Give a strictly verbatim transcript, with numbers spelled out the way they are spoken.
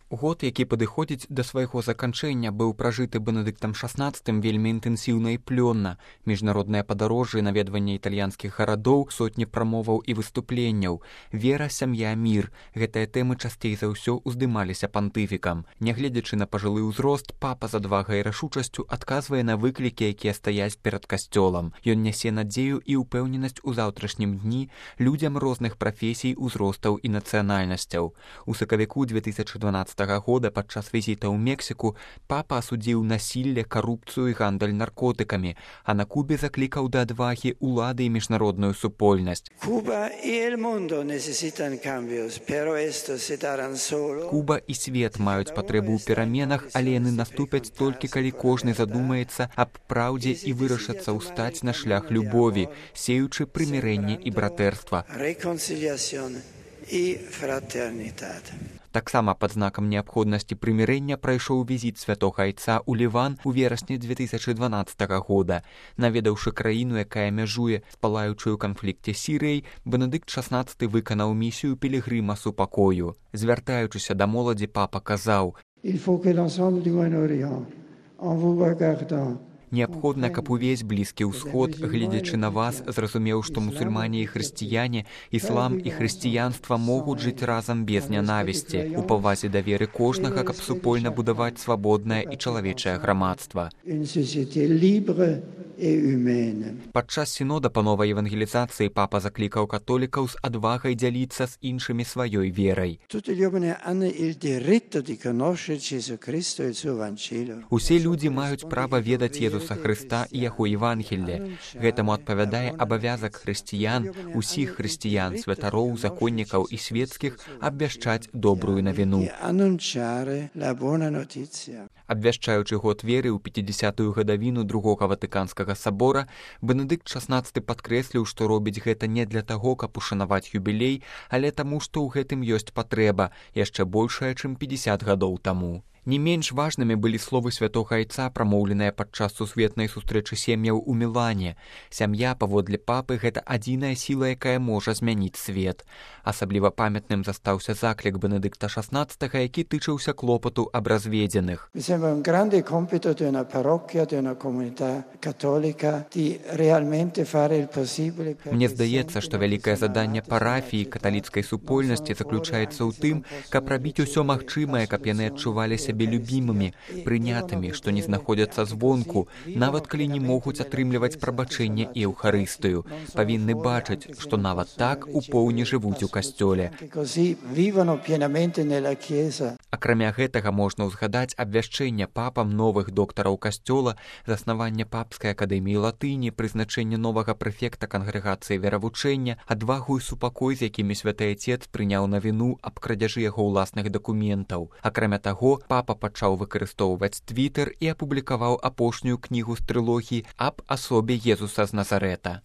Год, які падыходзіць да свайго заканчэння, быў пражыты Бенедыктам шаснаццатым вельмі інтэнсіўна і плённа. Міжнародныя падарожжы, наведванне італьянскіх гарадоў, сотні прамоваў і выступленняў. Вера, сям'я, мір. Гэтыя тэмы часцей за ўсё уздымаліся пантыфікам. Нягледзячы на пажылы ўзрост, папа з адвагай і рашучасцю адказвае на выклікі, якія стаяць перад касцёлам. Ён нясе надзею і ўпэўненасць у заўтрашнім дні людзям розных прафесій, узростаў і нацыянальнасцяў. У сакавіку две тысячы дванаццатага года падчас візіта ў Мексіку папа асудзіў насілле, карупцыю і гандаль наркотыкамі, а на Кубе заклікаў да адвагі ўлады і міжнародную супольнасць. Куба і свет маюць патрэбу ў пераменах, але яны наступяць толькі калі кожны задумаецца аб праўдзе і вырашыцца ўстаць на шлях любові, сеючы прымірэнне і братэрства. Таксама пад знакам неабходнасці прымірэння прайшоў візіт святога айца ў Ліван у верасні две тысячы дванаццатага года. Наведаўшы краіну, якая мяжуе з палаючай у канфлікце Сірыяй, Бенедыкт шаснаццаты выканаў місію пілігрыма супакою. Звяртаючыся да моладзі, папа казаў: «Неабходна, каб увесь Блізкі ўсход, гледзячы на вас, зразумеў, што мусульмане і хрысціяне, іслам і хрысціянства могуць жыць разам без нянавісці, у павазе да веры кожнага, каб супольна будаваць свабоднае і чалавечае грамадства». Падчас сінода па новай евангелізацыі папа заклікаў католікаў з адвагай дзяліцца з іншымі сваёй верай. Усе людзі маюць права ведаць Езуса Хрыста і яго Евангелле. Гэтаму адпавядае абавязак хрысціян, усіх хрысціян, святароў, законнікаў і свецкіх абвяшчаць добрую навіну. Абвяшчаючы год веры ў пяцідзясятую гадавіну другога Ватыканскага сабора, Бенедыкт шаснаццаты падкрэсліў, што робіць гэта не для таго, каб ушанаваць юбілей, але таму, што ў гэтым ёсць патрэба, яшчэ большая, чым пятьдесят гадоў таму. Не менш важнымі былі словы святога айца, прамоўленыя падчас сусветнай сустрэчы сем'яў у Мілане. Сям'я, паводле папы, гэта адзіная сіла, якая можа змяніць свет. Асабліва памятным застаўся заклік Бенедыкта шаснаццатага, які тычыўся клопату аб разведзеных. Мне здаецца, што вялікае заданне парафіі каталіцкай супольнасці заключаецца ў тым, каб рабіць усё магчымае, каб яны адчувалі сябе любімымі, прынятымі, што не знаходзяцца звонку, нават калі не могуць атрымліваць прабачэнне і эўхарыстыю. Павінны бачыць, што нават так у поўні жывуць у касцёле. Акрамя гэтага можна ўзгадаць абвяшчэнне папам новых доктараў касцёла, заснаванне папскай акадэміі латыні, прызначэнне новага прэфекта кангрэгацыі веравучэння, адвагу і супакой, з якімі святы айцец прыняў навіну аб крадзяжы яго ўласных дакументаў. Акрамя таго, папа пачаў выкарыстоўваць твітер і апублікаваў апошнюю кнігу з трылогіі аб асобе Езуса з Назарэта.